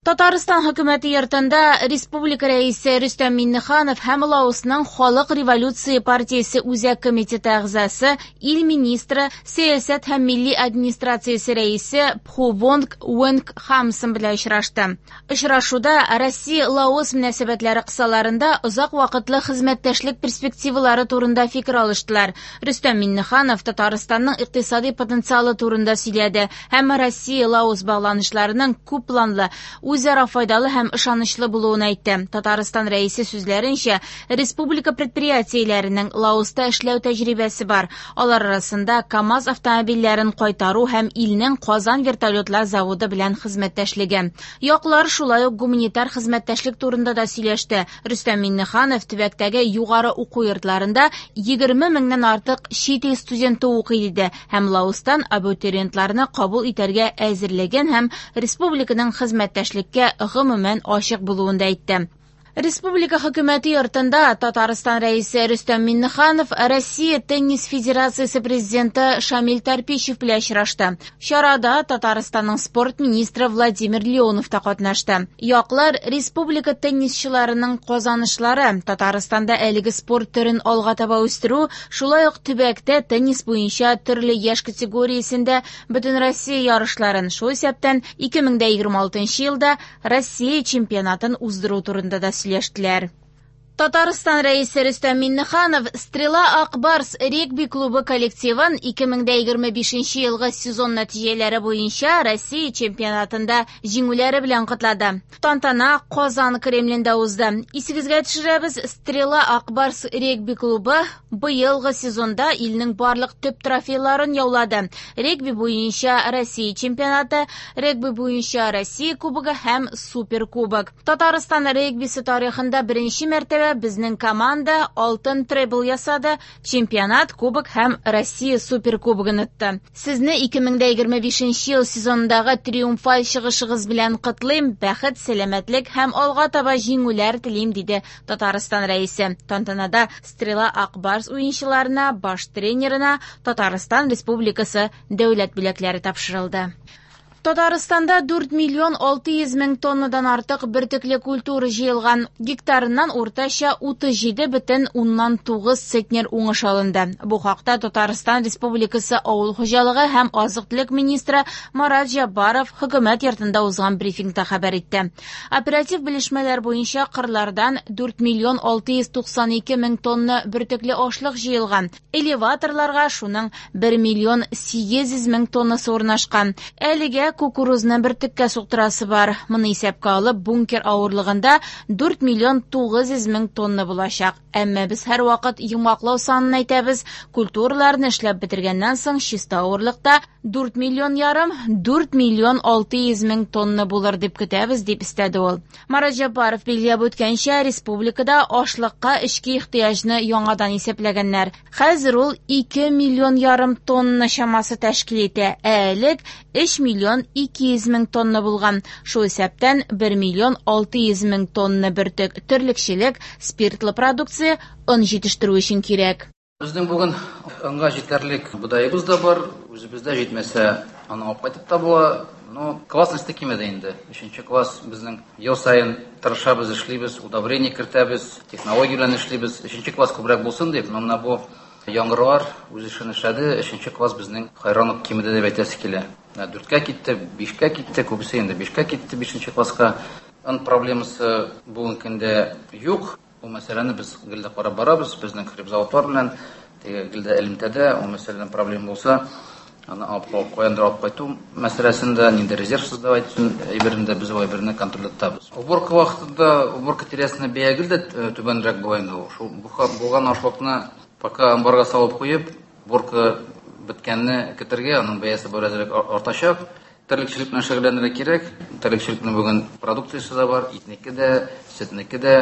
Татарстан хөкүмәте йортында республика рәисе Рөстәм Миңнеханов һәм Лаосның Халык революция партиясе үзәк комитеты әгъзасы, ил министры, сәясәт һәм милли администрациясе рәисе Пхувонг Уэнг-Хамсон белән очрашты. Очрашуда Россия-Лаос мөнәсәбәтләре кысаларында озак вакытлы хезмәттәшлек перспективалары турында фикер алыштылар. Рөстәм Миңнеханов Татарстанның икътисади потенциалы турында сөйләде һәм Россия-Лаос багланышларының күп планлы, үзара файдалы һәм ышанычлы булуын әйтте. Татарстан рәисе сүзләренчә, республика предприятиеләренең Лаоста эшләү тәҗрибәсе бар. Алар арасында КАМАЗ автомобильләрен кайтару һәм илнең Казан вертолетлар заводы белән хезмәттәшлеге. Яклар шулай ук гуманитар хезмәттәшлек турында да сөйләште. Рөстәм Миңнеханов төбәктәге югары уку йортларында 20 меңнән артык чит ил студенты укый диде һәм Лаостан абитуриентларны кабул итәргә әзерлеген һәм республиканың хезмәттәшлеккә гомумән ачык булуын да әйтте. Республика хөкүмәте йортында Татарстан рәисе Рөстәм Миңнеханов Россия теннис федерациясе президенты Шамил Тарпищев белән очрашты. Чарада Татарстанның спорт министры Владимир Леонов та катнашты. Яклар республика теннисчыларының казанышлары, Татарстанда әлеге спорт төрен алга таба үстерү, шулай ук төбәктә теннис буенча төрле яшь категориясендә Бөтенроссия ярышларын, шул исәптән 2026 елда Россия чемпионатын уздыру турында да сөйләштеләр. Татарстан рәисе Рөстәм Миңнеханов Стрела Ак Барс регби клубы коллективын 2025 елгы сезон нәтиҗәләре буенча Россия чемпионатында җиңүләре белән котлады. Тантана Казан Кремлендә узды. Исегезгә төшерәбез, Стрела Ак Барс регби клубы быелгы сезонда илнең барлык төп трофейларын яулады. Регби буенча Россия чемпионаты, регби буенча Россия кубогы һәм Суперкубок. Татарстан регбисы тарихында беренче мәртәбә безнең команда алтын требл ясады, чемпионат, кубок һәм Россия суперкубогын отты. Сезне 2025 ел сезонындагы триумфаль чыгышыгыз белән котлыйм, бәхет, сәламәтлек һәм алга таба җиңүләр телим, диде Татарстан рәисе. Тантанада Стрела Ак Барс уенчыларына, баш тренерына Татарстан Республикасы дәүләт бүләкләре тапшырылды. Татарстанда 4 миллион 600 мең тоннадан артык бөртекле культура җыелган. Гектарыннан уртача 37,9 центнер уңыш алынды. Бу хакта Татарстан Республикасы Авыл хуҗалыгы һәм азык-төлек министры Марат Җаббаров хөкүмәт йортында узган брифингта хәбәр итте. Оператив белешмәләр буенча кырлардан 4 миллион 692 мең тонна бөртекле ашлык җыелган. Элеваторларга шуның 1 миллион 800 мең тоннасы урнашкан. Әлегә кукурузны бөртеккә суктырасы бар. Моны исәпкә алып, бункер авырлыгында 4 миллион 900 мең тонна булачак. Әмма без һәрвакыт йомгаклау санын әйтәбез. Культураларны эшләп бетергәннән соң чиста авырлыкта 4 миллион ярым, 4 миллион 600 мең тонна булыр дип көтәбез, дип өстәде ул. Марат Җаббаров билгеләп үткәнчә, республикада ашлыкка эчке ихтыяҗны яңадан исәпләгәннәр. Хәзер ул 2 миллион ярым тонна чамасы тәшкил итә, ә элек 3 миллион 200 мең тонна булган. Шул исәптән 1 миллион 600 мең тонна бөртек терлекчелек, спиртлы продукция, он җитештерү өчен кирәк. Безнең бүген онга җитәрлек бодаебыз да бар, үзебездә җитмәсә, аны алып кайтып та була. Но классность кимеде инде. Өченче класс безнең ел саен тырышабыз, эшлибез, удобрение кертәбез, технология белән эшлибез. Өченче класс күбрәк булсын дип, но менә бу яңгырлар үз эшен эшләде. Өченче класс безнең хайран ук кимеде дип әйтәсе килә. Менә дүрткә китте, бишкә китте, күбесе инде бишкә китте, бишенче класска. Он проблемасы бүгенге көндә юк. Бу мәсьәләне без гел дә карап барабыз, безнең хлебзаводлар белән теге гел дә элемтәдә, ул мәсьәләдән проблема булса, аны алып каяндыр алып кайту мәсьәләсен дә, нинди резерв создавать итү әйберен дә без ул әйберне контрольдә тотабыз. Уборка вакытында уборка тирәсендә бәя гел дә түбәнрәк була инде ул. Шул булган ашлыкны пока амбарга салып куеп, уборка беткәнне көтәргә, аның бәясе беразрак артачак. Терлекчелек белән шөгыльләнергә кирәк. Терлекчелекнең бүген продукциясе дә бар, итнеке дә, сөтнеке дә.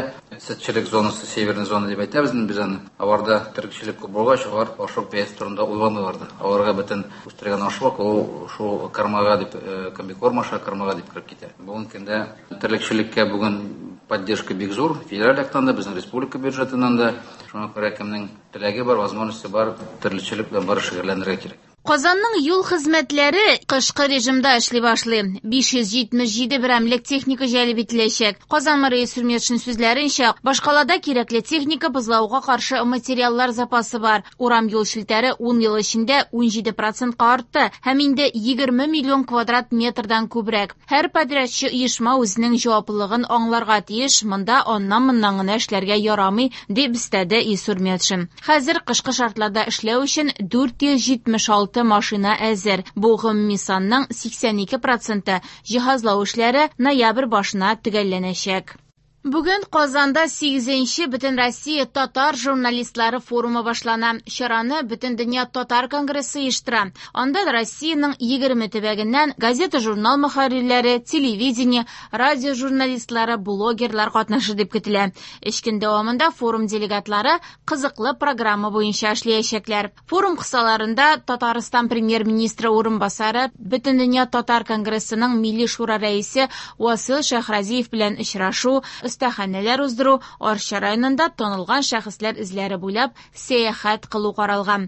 Сөтчелек зонасы, северный зона дип әйтәбез инде без аны. Аларда терлекчелек күп булгач, алар ашлык бәясе турында уйламыйлар да. Аларга бөтен үстергән ашлык ул шул кормага дип, комбикорм аша кормага дип кереп китә. Бүгенге көндә терлекчелеккә бүген поддержка бик зур, федераль яктан да, безнең республика бюджетыннан да. Шуңа күрә кемнең теләге бар, возможности бар, терлекчелек белән бары шөгыльләнергә кирәк. Казанның юл хезмәтләре кышкы режимда эшли башлый. 577 берәмлек техника җәлеп ителәчәк. Казан мэры Илсур Метшин сүзләренчә, башкалада кирәкле техника, бозлавыкка каршы материаллар запасы бар. Урам юл челтәре 10 ел эчендә 17 процентка артты һәм инде 20 миллион квадрат метрдан күбрәк. Һәр подрядчы оешма үзенең җаваплылыгын аңларга тиеш, монда аннан-моннан гына эшләргә ярамый, дип өстәде Илсур Метшин. Хәзер кышкы шартларда эшләү өчен 476 машина әзер. Бу гомуми санның 82 проценты. Җиһазлау эшләре ноябрь башына төгәлләнәчәк. Бүген Казанда 8нче Бөтенроссия татар журналистлары форумы башлана. Чараны Бөтендөнья татар конгрессы оештыра. Анда Россиянең 20 төбәгеннән газета-журнал мөхәррирләре, телевидение, радио журналистлары, блогерлар катнашыр дип көтелә. Өч көн дәвамында форум делегатлары кызыклы программа буенча эшләячәкләр. Форум кысаларында Татарстан премьер-министры урынбасары, Бөтендөнья татар конгрессының Милли шура рәисе Васил Шәйхразиев белән очрашу, остаханәләр уздыру, Арча районында танылган шәхесләр эзләре буйлап сәяхәт кылу каралган.